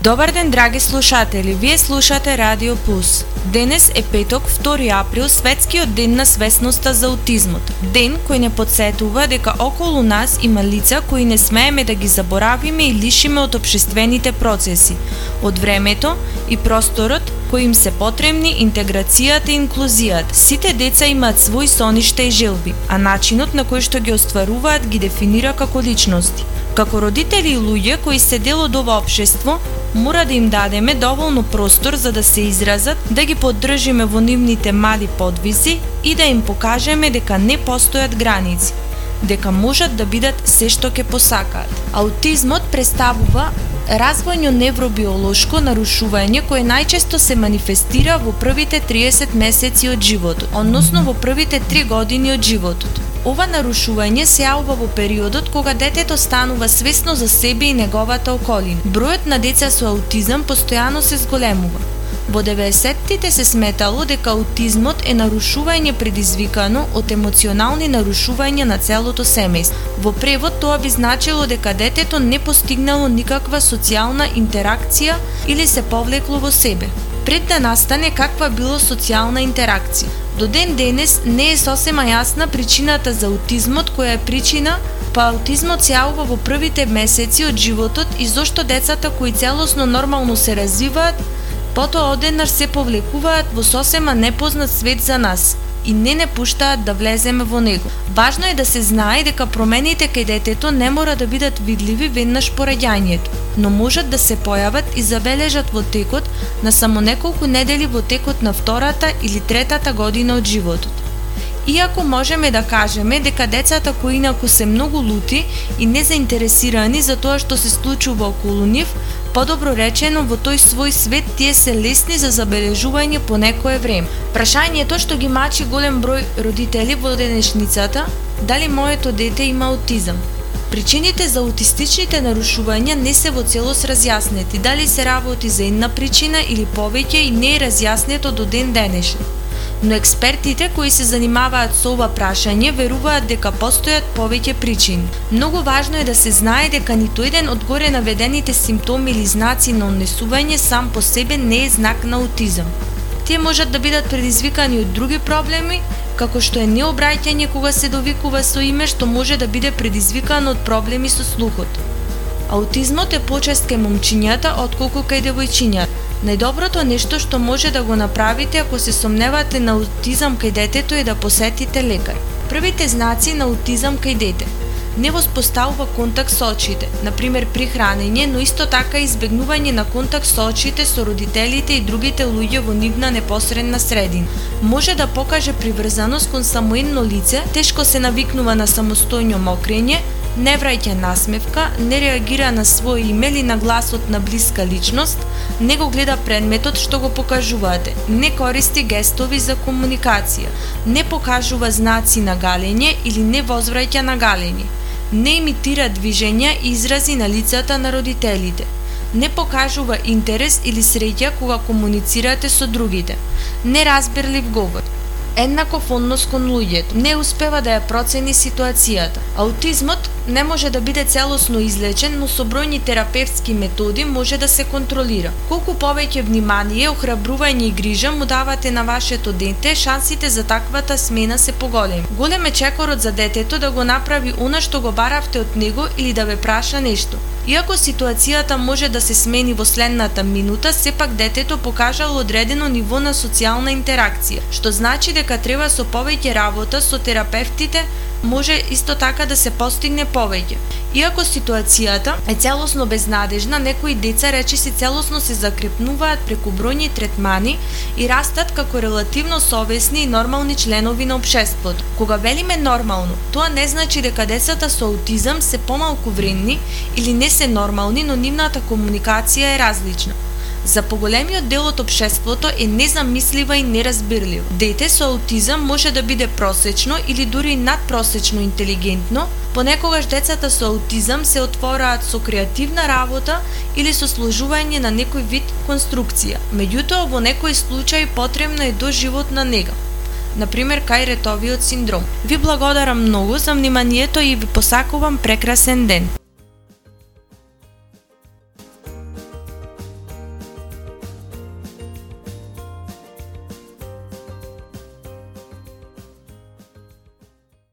Добар ден, драги слушатели, вие слушате Радио Плюс. Денес е петок, 2 април, светскиот ден на свесноста за аутизмот. Ден кој не подсетува дека околу нас има лица кои не смееме да ги заборавиме и лишиме од општествените процеси, од времето и просторот кои им се потребни интеграцијата и инклузијата. Сите деца имаат свои соништа и желби, а начинот на кој што ги остваруваат ги дефинира како личности. Како родители и луѓе кои се дел од ова општество, мора да им дадеме доволно простор за да се изразат, да ги поддржиме во нивните мали подвизи и да им покажеме дека не постојат граници, дека можат да бидат се што ќе посакаат. Аутизмот представува развојно невробиолошко нарушување кое најчесто се манифестира во првите 30 месеци од животот, односно во првите 3 години од животот. Ова нарушување се јавува во периодот кога детето станува свесно за себе и неговата околина. Бројот на деца со аутизам постојано се зголемува. Во 90-тите се сметало дека аутизмот е нарушување предизвикано од емоционални нарушувања на целото семејство. Во превод тоа би значило дека детето не постигнало никаква социјална интеракција или се повлекло во себе. Пред да настане каква било социјална интеракција. До ден денес не е сосема јасна причината за аутизмот, која е причина па аутизмот се јавува во првите месеци од животот и зошто децата кои целосно нормално се развиваат, потоа одеднаш се повлекуваат во сосема непознат свет за нас и не пуштаат да влеземе во него. Важно е да се знае дека промените кај детето не мора да бидат видливи веднаш по раѓањето, но можат да се појават и забележат во текот на само неколку недели во текот на втората или третата година од животот. Иако можеме да кажеме дека децата кои инаку се многу лути и незаинтересирани за тоа што се случува околу нив, подобро речено, во тој свој свет тие се лесни за забележување по некое време. Прашањето што ги мачи голем број родители во денешницата, дали моето дете има аутизам? Причините за аутистичните нарушувања не се во целост разјаснети, дали се работи за една причина или повеќе и не е разјаснето до ден денешен. Но експертите кои се занимаваат со ова прашање веруваат дека постојат повеќе причини. Многу важно е да се знае дека ниту еден од горе наведените симптоми или знаци на однесување сам по себе не е знак на аутизам. Тие можат да бидат предизвикани од други проблеми, како што е необраќање кога се довикува со име, што може да биде предизвикано од проблеми со слухот. Аутизмот е почест кај момчињата отколку кај девојчињата. Најдоброто нешто што може да го направите ако се сомневате на аутизам кај детето е да посетите лекар. Првите знаци на аутизам кај дете: не воспоставува контакт со очите, например при хранење, но исто така избегнување на контакт со очите со родителите и другите луѓе во нивна непосредна средина. Може да покаже приврзаност кон само едно лице, тешко се навикнува на самостојно мокрење, не враќа насмевка, не реагира на свој име или на гласот на блиска личност, не го гледа предметот што го покажувате, не користи гестови за комуникација, не покажува знаци на галење или не возвраќа на галење, не имитира движења и изрази на лицата на родителите, не покажува интерес или среќа кога комуницирате со другите, неразберлив говор, еднаков однос кон луѓето, не успева да ја процени ситуацијата. Аутизмот не може да биде целосно излечен, но со бројни терапевтски методи може да се контролира. Колку повеќе внимание, охрабрување и грижа му давате на вашето дете, шансите за таквата смена се поголеми. Голем е чекорот за детето да го направи она што го баравте од него или да ве праша нешто. Иако ситуацијата може да се смени во следната минута, сепак детето покажало одредено ниво на социјална интеракција, што значи дека треба со повеќе работа со терапевтите може исто така да се постигне повеќе. Иако ситуацијата е целосно безнадежна, некои деца речиси целосно се закрепнуваат преку бројни третмани и растат како релативно совесни и нормални членови на општеството. Кога велиме нормално, тоа не значи дека децата со аутизам се помалку вредни или не се нормални, но нивната комуникација е различна. За поголемиот дел од општеството е незамислива и неразбирлива. Дете со аутизам може да биде просечно или дури надпросечно интелигентно, понекогаш децата со аутизам се отвораат со креативна работа или со сложување на некој вид конструкција. Меѓутоа, во некој случај потребна е доживотна нега, например кај ретовиот синдром. Ви благодарам многу за вниманието и ви посакувам прекрасен ден.